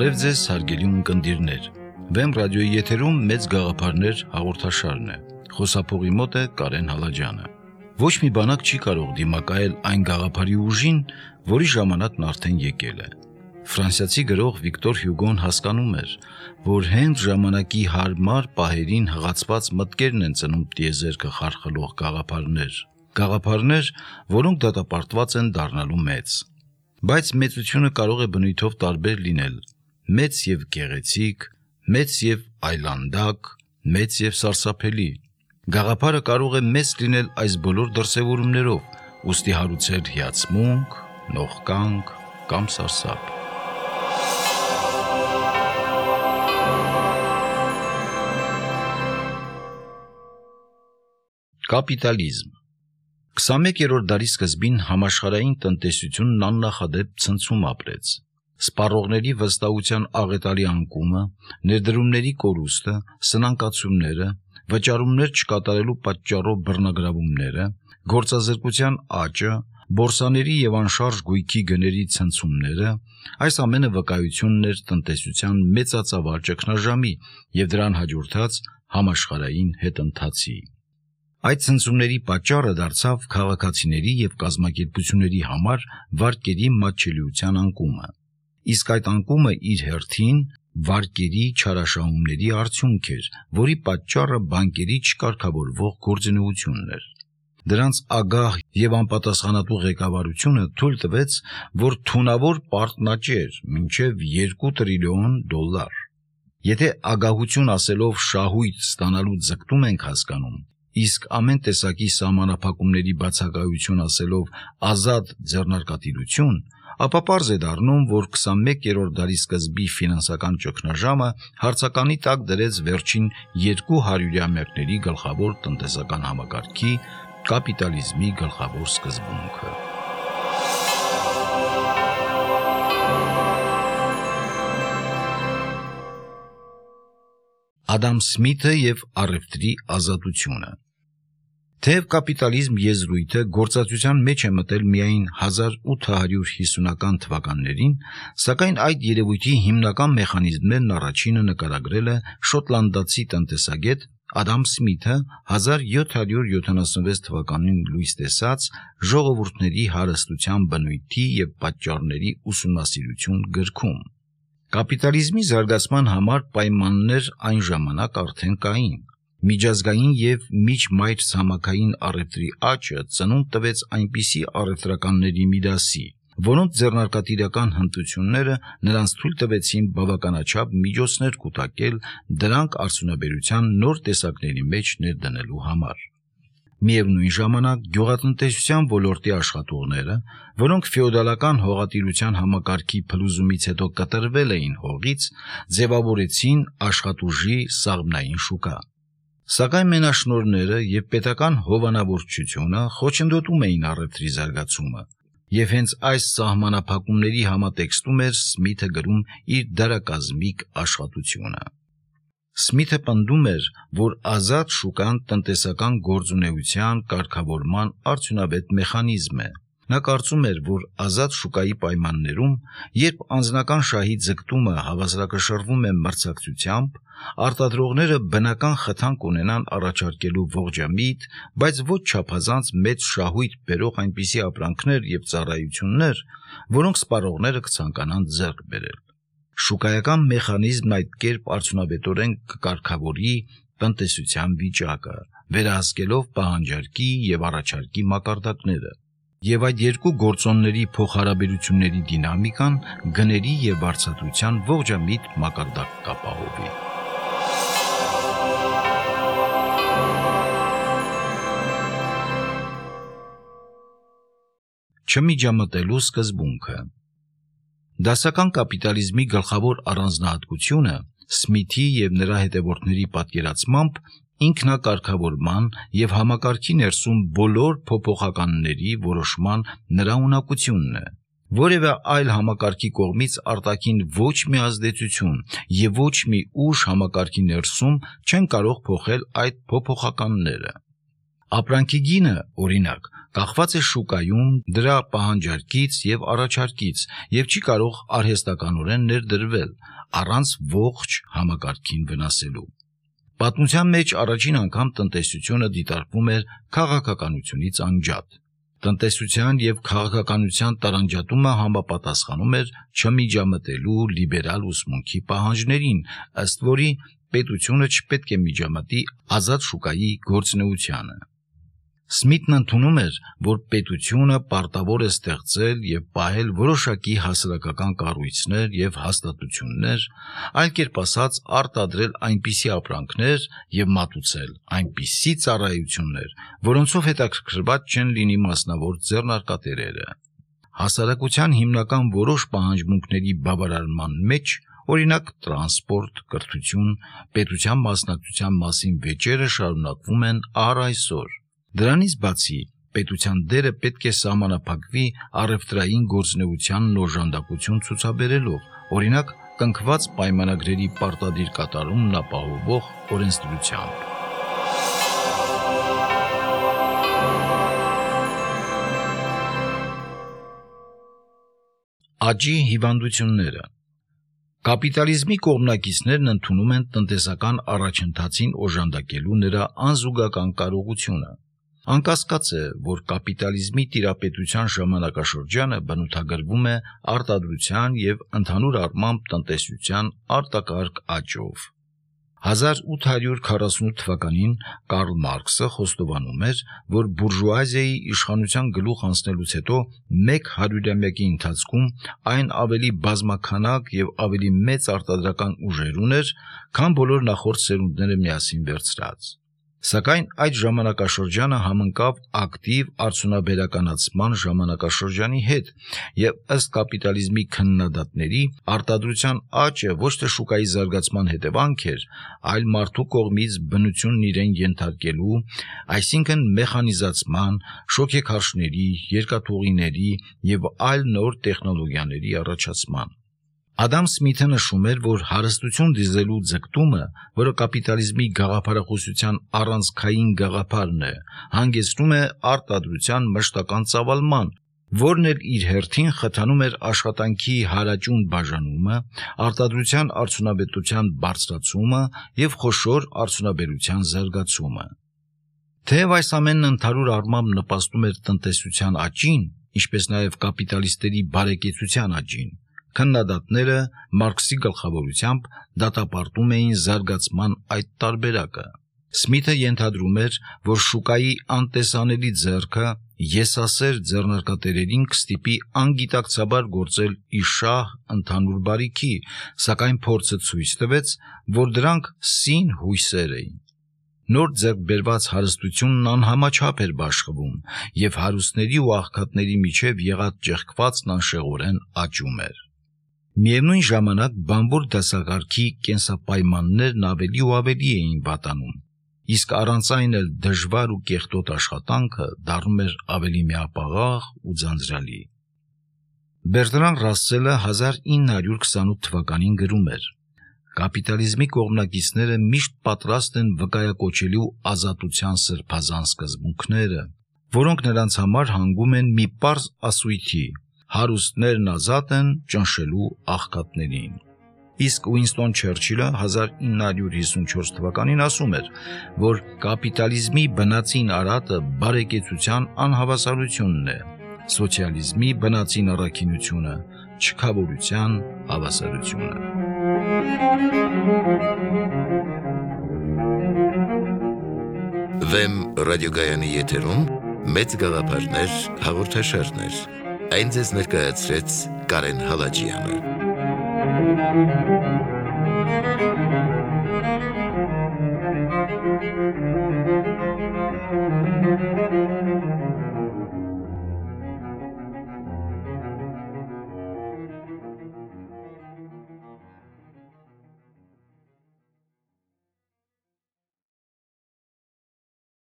Բարև ձեզ հարգելի ունկնդիրներ, Վեմ ռադիոյի եթերում մեծ գաղափարներ հաղորդաշարն է, խոսափողի մոտ է Կարեն Հալաջյանը։ Ոչ մի բանակ չի կարող դիմակայել այն գաղափարի ուժին, որի ժամանակն արդեն եկել է։ Ֆրանսիացի գրող Վիկտոր Հյուգոն հասկանում էր, որ հենց ժամանակի հարմար պահերին հղացված մտքերն են ծնում տիեզերքը խարխլող գաղափարներ, որոնք դատապարտված են դառնալու մեծ։ Բայց մեծությունը կարող է բնույթով տարբեր լինել, մեծ եւ գեղեցիկ, մեծ եւ այլանդակ, մեծ եւ սարսափելի։ Գաղափարը կարող է մեծ լինել այս բոլոր դրսևորումներով, ուստի հարուցել հիացմունք, նողկանք կամ սարսափ։ Կապիտալիզմ 21-րդ դարի սկզբին համաշխարհային տնտեսությունն աննախադեպ ցնցում ապրեց։ Սպառողների վստահության աղետալի անկումը, ներդրումների կորուստը, սնանկացումները, վճարումներ չկատարելու պատճառով բռնագրավումները, գործազրկության աճը, բորսաների եւ անշարժ գույքի գների ցնցումները, այս ամենը վկայությունն էր տնտեսության մեծածավալ ճգնաժամի եւ դրան հաջորդած համաշխարհային հետընթացի։ Այդ ցնցումների պատճառը դարձավ քաղաքացիների եւ կազմակերպությունների համար վարկերի մատչելիության անկումը։ Իսկ այդ անկումը իր հերթին վարկերի չարաշահումների արդյունք էր, որի պատճառը բանկերի չկարգավորվող գործունեությունն էր։ Դրանց ագահ եւ անպատասխանատու ղեկավարությունը թույլ տվեց, որ թունավոր պարտն աճեր մինչեւ $2 տրիլիոն։ Եթե ագահություն ասելով շահույթ ստանալու ձգտում ենք հասկանում, իսկ ամեն տեսակի սահմանափակումների բացակայություն ասելով ազատ ձեռնարկատիրություն, ապա պարզ է դառնում, որ 21-րդ դարի սկզբի ֆինանսական ճգնաժամը հարցականի տակ դրեց վերջին 200-ամյակների գլխավոր տնտեսական համակարգի կապիտալիզմի գլխավոր սկզբունքը։ Ադամ Սմիթը եւ առևտրի ազատությունը։ Թեև կապիտալիզմ եզրույթը գործածության մեջ է մտել միայն 1850-ական թվականներին, սակայն այդ երևույթի հիմնական մեխանիզմներն առաջինը նկարագրել է շոտլանդացի տնտեսագետ Ադամ Սմիթը 1776 թվականին լույս տեսած «Ժողովուրդների հարստության բնույթի եւ պատճառների ուսումնասիրություն» գրքում։ Կապիտալիզմի զարգացման համար պայմաններ այն ժամանակ արդեն կային։ Միջազգային եւ միջմայրցամաքային առևտրի աճը ծնունդ տվեց այնպիսի առևտրականների մի դասի, որոնց ձեռնարկատիրական հմտությունները նրանց թույլ տվեցին բավականաչափ միջոցներ կուտակել դրանք արդյունաբերության նոր տեսակների մեջ ներդնելու համար։ Միևնույն ժամանակ գյուղատնտեսության ոլորտի աշխատողները, որոնք ֆեոդալական հողատիրության համակարգի փլուզումից հետո կտրվել էին հողից, ձևավորեցին աշխատուժի սաղմնային շուկա։ Սակայն մենաշնորհները եւ պետական հովանավորչությունը խոչընդոտում էին առևտրի զարգացումը, եւ հենց այս սահմանափակումների համատեքստում էր Սմիթը գրում իր դարակազմիկ աշխատությունը։ Սմիթը պնդում էր, որ ազատ շուկան տնտեսական գործունեության կարգավորման արդյունավետ մեխանիզմ է։ Նա կարծում էր, որ ազատ շուկայի պայմաններում, երբ անձնական շահի ձգտումը հավասարակշռվում է մրցակցությամբ, արտադրողները բնական խթան կունենան առաջարկելու ողջամիտ, բայց ոչ չափազանց մեծ շահույթ բերող այնպիսի ապրանքներ եւ ծառայություններ, որոնք սպառողները կցանկանան ձեռք բերել։ Շուկայական մեխանիզմն այդ կերպ արդյունավետորեն կկարգավորի տնտեսության վիճակը, վերահսկելով պահանջարկի եւ առաջարկի մակարդակները, եւ այդ երկու գործոնների փոխհարաբերությունների դինամիկան գների եւ վարձատրության ողջամիտ մակարդակ կապահովի։ Չմիջամտելու սկզբունքը։ Դասական կապիտալիզմի գլխավոր առանձնահատկությունը Սմիթի եւ նրա հետևորդների պատկերացմամբ ինքնակարգավորման եւ համակարգի ներսում բոլոր փոփոխականների որոշման նրա ունակությունն է։ Որևէ այլ համակարգի կողմից արտաքին ոչ մի ազդեցություն եւ ոչ մի ուժ համակարգի ներսում չեն կարող փոխել այդ փոփոխականները։ Ապրանքի գինը, օրինակ, կախված է շուկայում դրա պահանջարկից եւ առաջարկից եւ չի կարող արհեստականորեն ներդրվել, առանց ողջ համակարգին վնասելու։ Պատմության մեջ առաջին անգամ տնտեսությունը դիտարկվում էր քաղաքականությունից անջատ։ Տնտեսության եւ քաղաքականության տարանջատումը համապատասխանում էր չմիջամտելու լիբերալ ուսմունքի պահանջներին, ըստ որի պետությունը չպետք է միջամտի ազատ շուկայի գործունեությանը։ Սմիթն ընդունում էր, որ պետությունը պարտավոր է ստեղծել եւ պահել որոշակի հասարակական կառույցներ եւ հաստատություններ, այլ կերպ ասած արտադրել այնպիսի ապրանքներ եւ մատուցել այնպիսի ծառայություններ, որոնցով հետաքրքրված չեն լինի մասնավոր ձեռնարկատերերը։ Հասարակության հիմնական որոշ պահանջմունքների բավարարման մեջ, օրինակ տրանսպորտ, կրթություն, պետության մասնակցության մասին վեճերը շարունակվում են առ այսօր։ Դրանից բացի պետության դերը պետք է սահմանափակվի առևտրային գործունեությանն օժանդակություն ցուցաբերելով, օրինակ կնքված պայմանագրերի պարտադիր կատարումն ապահովող օրենսդրությամբ։ Աճի հիվանդությունները։ Կապիտալիզմի կողմնակիցներն ընդունում են տնտեսական առաջընթացին օժանդակելու նրա անզուգական կարողությունը։ Անկասկած է, որ կապիտալիզմի տիրապետության ժամանակաշրջանը բնութագրվում է արտադրության եւ ընդհանուր առմամբ տնտեսության արտակարգ աճով։ 1848 թվականին Կարլ Մարքսը խոստովանում էր, որ բուրժուազիայի իշխանության գլուխ անցնելուց հետո մեկ հարյուրամյակի ընթացքում այն ավելի բազմաքանակ եւ ավելի մեծ արտադրական ուժեր ուներ, քան բոլոր նախորդ սերունդները միասին վերցրած։ Սակայն այդ ժամանակաշրջանը համընկավ ակտիվ արդյունաբերականացման ժամանակաշրջանի հետ եւ ըստ կապիտալիզմի քննադատների արտադրության աճը ոչ թե շուկայի զարգացման հետևանք էր, այլ մարդու կողմից բնությունն իրեն ենթարկելու, այսինքն մեխանիզացման, շոգեքարշների, երկաթուղիների եւ այլ նոր տեխնոլոգիաների առաջացման։ Ադամ Սմիթը նշում էր, որ հարստություն դիզելու ձգտումը, որը կապիտալիզմի գաղափարախոսության առանցքային գաղափարն է, հանգեցնում է արտադրության մշտական ծավալման, որն էլ իր հերթին խթանում էր աշխատանքի հարաճուն բաժանումը, արտադրության արդյունավետության բարձրացումը եւ խոշոր արդյունաբերության զարգացումը։ Թեև այս ամենն ընդհանուր առմամբ նպաստում էր տնտեսության աճին, ինչպես նաեւ կապիտալիստերի բարեկեցության աճին, քննադատները Մարքսի գլխավորությամբ դատապարտում էին զարգացման այդ տարբերակը։ Սմիթը ենթադրում էր, որ շուկայի անտեսանելի ձեռքը եսասեր ձեռնարկատերերին կստիպի անգիտակցաբար գործել իշահ ընդհանուր բարիքի, սակայն փորձը ցույց տվեց, որ դրանք սին հույսեր էին։ Նոր ձեռք բերված հարստությունն անհամաչափ էր բաշխվում, եւ հարուստների ու աղքատների միջև եղած ճեղքվածն անշեղորեն աճում էր։ Միևնույն ժամանակ բանվոր դասակարգի կենսապայմաններն ավելի ու ավելի էին վատանում, իսկ առանց այն էլ դժվար ու կեղտոտ աշխատանքը դառնում էր ավելի միապաղաղ ու ձանձրալի։ Բերտրան Ռասսելը 1928 թվականին գրում էր. «Կապիտալիզմի կողմնակիցները միշտ պատրաստ են վկայակոչելու ազատության սրբազան սկզբունքները, որոնք նրանց համար հանգում են մի պարզ ասույթի. հարուստներն ազատ են ճնշելու աղքատներին»։ Իսկ Ուինստոն Չերչիլը 1954 թվականին ասում էր, որ կապիտալիզմի բնածին արատը բարեկեցության անհավասարությունն է, սոցիալիզմի բնածին առաքինությունը չքավորության հավասարությունը։ Վեմ ռադիոգայանի եթերում մեծ գաղափարներ հաղորդաշարներ։ Այն ձեզ ներկայացրեց Կարեն Հալաջյանը։